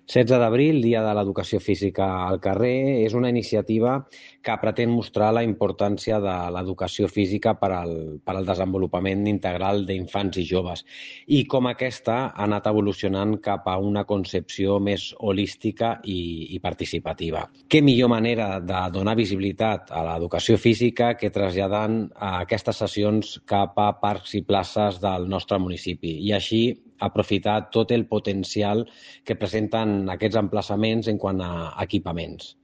16 d'abril, Dia de l'Educació Física al carrer, és una iniciativa que pretén mostrar la importància de l'educació física per al desenvolupament integral d'infants i joves i com aquesta ha anat evolucionant cap a una concepció més holística i participativa. Què millor manera de donar visibilitat a l'educació física que traslladant aquestes sessions cap a parcs i places del nostre municipi i així aprofitar tot el potencial que presenten aquests emplaçaments en quant a equipaments.